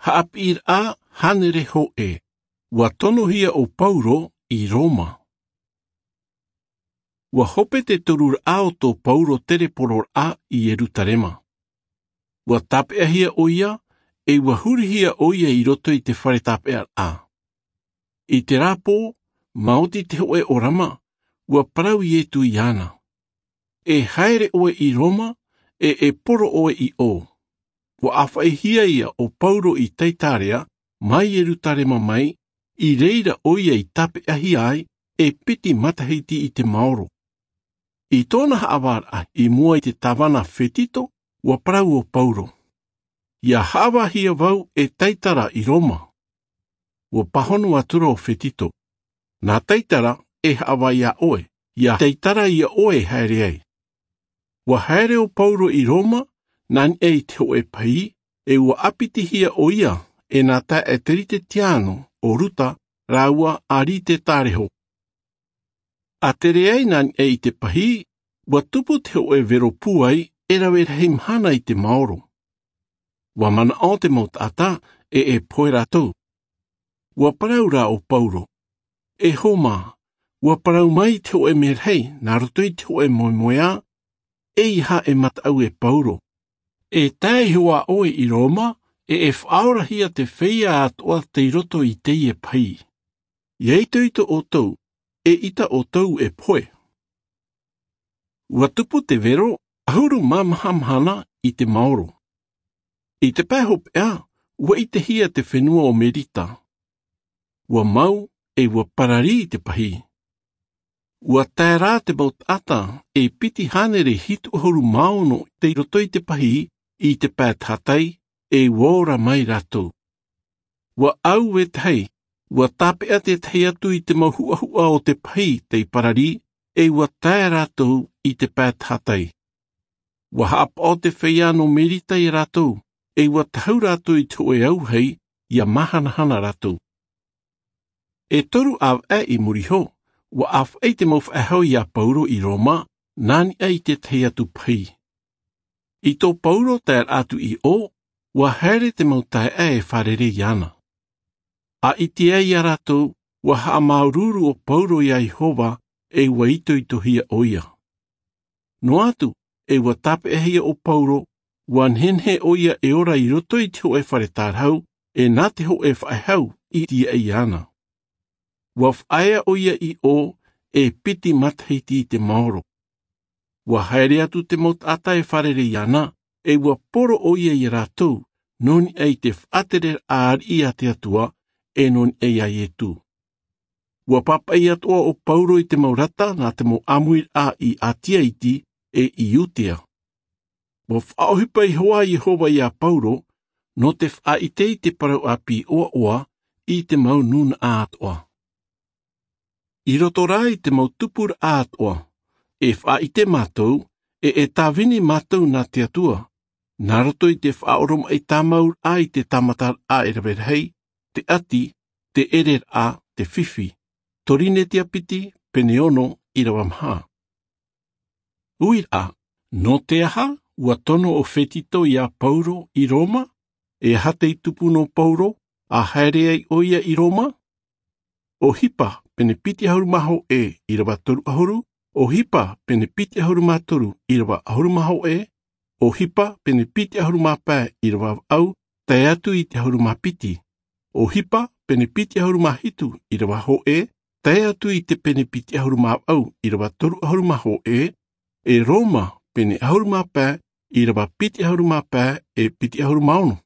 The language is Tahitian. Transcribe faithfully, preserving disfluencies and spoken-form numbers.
Haʻapiʻiraʻa hānere hōʻē. Ua tonohia ʻo Pauro i Roma. Ua hope te toruraʻa o tō Pauro terepororaʻa i Ierutarema. Ua tāpeʻahia ʻo ia, e ua hurihia ʻo ia i roto i te fare tāpeʻaraʻa. I te rāpō, maoti te hōʻē ʻōrama, ua parau Ietu iāna. E haere ʻoe i Roma, e e poro ʻoe i ʻō. Ua ʻāfaʻihia ia ʻo Pauro i Taitarea, mai Ierutarema mai, i reira ʻo ia i tāpeʻahia ai, e piti matahiti i te maoro. I tōna haʻavāraʻa i mua i te tāvana Fetito, ua parau ʻo Pauro. Ia haʻavāhia vau e taitara i Roma. Ua pāhono atura ʻo Fetito. Nā taitara e haʻavā iā ʻoe, ia taitara iā ʻoe e haere ai. Ua haere ʻo Pauro i Roma, nā niʻa i te hōʻē pahī, e ua ʻāpitihia ʻo ia, e nā taeaʻe Teritetiano, ʻo Ruta, rāua a Rite Tareho. A tere ai nā niʻa i te pahī, ua tupu te hōʻē vero pūai, e rave rahi mahana i te maoro. Ua manaʻo te mau taʻata, e e pohe rātou. Ua parau rā ʻo Pauro. E hōmā, ua parau mai te hōʻē merahi, nā roto i te hōʻē moemoeā, e aha e mataʻu e Pauro. E tae iho ā ʻoe i Roma, e e faʻaorahia te feiā atoʻa tei roto i teie pahī. Ia itoito ʻoutou, e ʻita ʻoutou e pohe. Ua tupu te vero, ʻahuru mā maha mahana i te maoro. I te pae hopeʻa, ua ʻitehia te fenua o Merita. Ua mau, e ua pararī te pahī. Ua tae rā te mau taʻata, e piti hānere hitu ʻahuru mā ono tei roto i te pahī, i te pae tahatai, e ua ora mai rātou. Ua ʻau e tahi, ua tāpeʻa te tahi atu i te mau huʻahuʻa o te pahī tei pararī, e ua tae rātou i te pae tahatai. Ua haʻapaʻo te feiā nō Merita iā rātou, e ua tahu rātou i te hōʻē auahi, ia māhanahana rātou. E toru ʻāvaʻe i muri iho, ua ʻāfaʻi te mau faʻehau iā Pauro i Roma, nā niʻa i te tahi atu pahī. I tō Pauro taeraʻa atu i ʻō, ua haere te mau taeaʻe e fārerei iāna. A ʻite ai iā rātou, ua haʻamāuruuru ʻo Pauro iā Iehova, e ua itoitohia ʻo ia. Noa atu, e ua tāpeʻahia ʻo Pauro, ua nehenehe ʻo ia e ora i roto i te hōʻē fare tārahu, e nā te hōʻē faʻehau i tīaʻi iāna. Ua faʻaea ʻo ia i ʻō, e piti matahiti i te maoro. Ua haere atu te mau taʻata e fārerei iāna, e ua poro ʻo ia iā rātou, nō niʻa i te faʻatereraʻa ariʻi a te Atua, e nō niʻa iā Ietu. Ua pāpaʻi atoʻa ʻo Pauro i te mau rata nā te mau ʻāmuiraʻa i Atia iti, e i Iudea. Ua faʻaʻohipa iho ā Iehova iā Pauro, nō te faʻaʻite i te parau ʻāpī ʻoaʻoa, i te mau nūnaʻa atoʻa. I roto rā i te mau tupuraʻa atoʻa, e faʻaʻite mātou, e e tāvini mātou nā te Atua, nā roto i te faʻaoromaʻi tāmauraʻa i te tāmataraʻa e rave rahi, te ʻati, te ʻereraʻa, te fifi. Torinetia piti, pene ono, ʻīrava maha. Uiraʻa, nō te aha, ua tono ʻo Fetito iā Pauro i Roma, e aha tei tupu nō Pauro, a haere ai ʻo ia i Roma? ʻOhipa, pene piti ʻahuru mā hōʻē, ʻīrava toru ʻahuru, ʻOhipa, pene piti ʻahuru mā toru, ʻīrava ʻahuru mā hōʻē, ʻOhipa, pene piti ʻahuru mā pae, ʻīrava vaʻu, tae atu i te ʻahuru mā piti. ʻOhipa, pene piti ʻahuru mā hitu, ʻīrava hōʻē, tae atu i te pene piti ʻahuru mā vaʻu, ʻīrava toru ʻahuru mā hōʻē, e Roma, pene ʻahuru mā pae, ʻīrava piti ʻahuru mā pae, e piti ʻahuru mā ono.